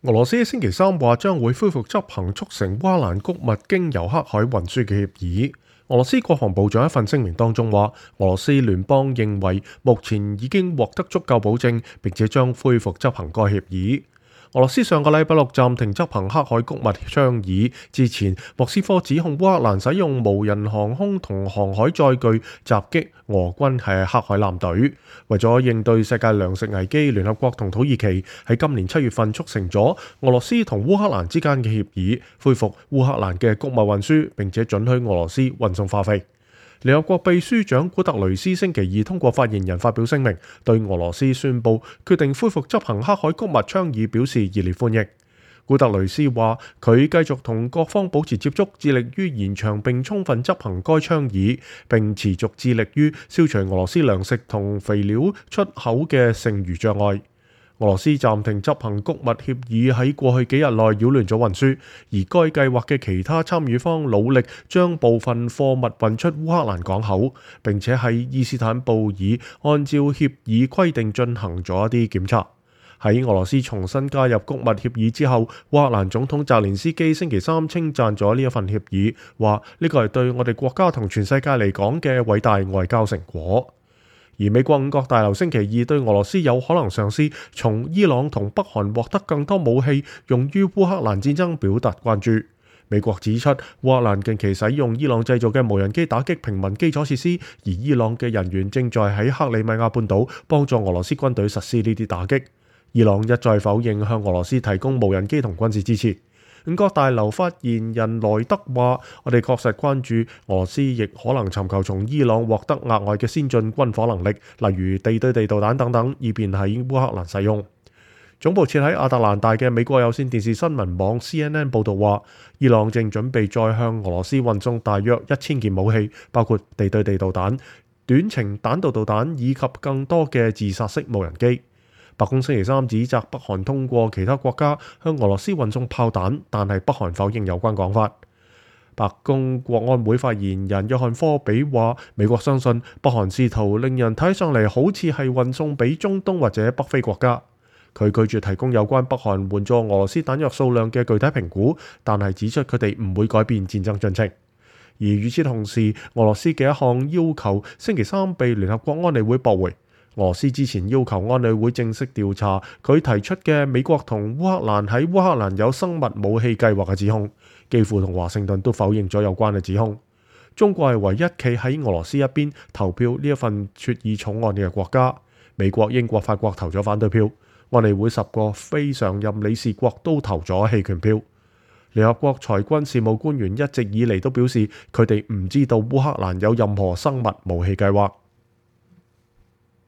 俄羅斯星期三話將會恢復執行促成烏克蘭穀物經由黑海運輸嘅協議。俄羅斯國防部長一份聲明當中話，俄羅斯聯邦認為目前已經獲得足夠保證，並且將恢復執行該協議。俄羅斯上個禮拜六暫停執行黑海穀物倡議之前，莫斯科指控烏克蘭使用無人航空同航海載具襲擊俄軍係黑海艦隊。為咗應對世界糧食危機，聯合國同土耳其喺今年7月份促成咗俄羅斯同烏克蘭之間嘅協議，恢復烏克蘭嘅穀物運輸，並且准許俄羅斯運送化肥。聯合國秘書長古特雷斯星期二通過發言人發表聲明，對俄羅斯宣布決定恢復執行黑海穀物倡議表示熱烈歡迎。古特雷斯話，佢繼續同各方保持接觸，致力於延長並充分執行該倡議，並持續致力於消除俄羅斯糧食同肥料出口嘅剩餘障礙。俄羅斯暫停執行穀物協議喺過去幾日內擾亂咗運輸，而該計劃嘅其他參與方努力將部分貨物運出烏克蘭港口，並且喺伊斯坦布爾按照協議規定進行咗一啲檢查。喺俄羅斯重新加入穀物協議之後，烏克蘭總統澤連斯基星期三稱讚咗呢一份協議，話呢個係對我哋國家同全世界嚟講嘅偉大外交成果。而美國五角大樓星期二對俄羅斯有可能嘗試從伊朗同北韓獲得更多武器用於烏克蘭戰爭表達關注。美國指出，烏克蘭近期使用伊朗製造嘅無人機打擊平民基礎設施，而伊朗嘅人員正在喺克里米亞半島幫助俄羅斯軍隊實施呢啲打擊。伊朗一再否認向俄羅斯提供無人機同軍事支持。五角大樓發言人萊德話，我哋確實關注俄羅斯亦可能尋求從伊朗獲得額外嘅先進軍火能力，例如地對地導彈等等，以便喺烏克蘭使用。總部設喺亞特蘭大嘅美國有線電視新聞網 CNN 報導話，伊朗正準備再向俄羅斯運送大約1000件武器，包括地對地導彈、短程彈道導彈以及更多嘅自殺式無人機。白宮星期三指責北韓通過其他國家向俄羅斯運送炮彈，但係北韓否認有關講法。白宮國安會發言人約翰科比話，美國相信北韓試圖令人睇上嚟好似係運送俾中東或者北非國家。佢拒絕提供有關北韓援助俄羅斯彈藥數量嘅具體評估，但係指出佢哋唔會改變戰爭進程。而與此同時，俄羅斯嘅一項要求星期三被聯合國安理會駁回。俄羅斯之前要求安理會正式調查佢提出嘅美國同烏克蘭喺烏克蘭有生物武器計劃嘅指控，基輔同華盛頓都否認咗有關嘅指控。中國係唯一企喺俄羅斯一邊投票呢一份決議草案嘅國家，美國、英國、法國投咗反對票，安理會10個非常任理事國都投咗棄權票。聯合國裁軍事務官員一直以嚟都表示，佢哋唔知道烏克蘭有任何生物武器計劃。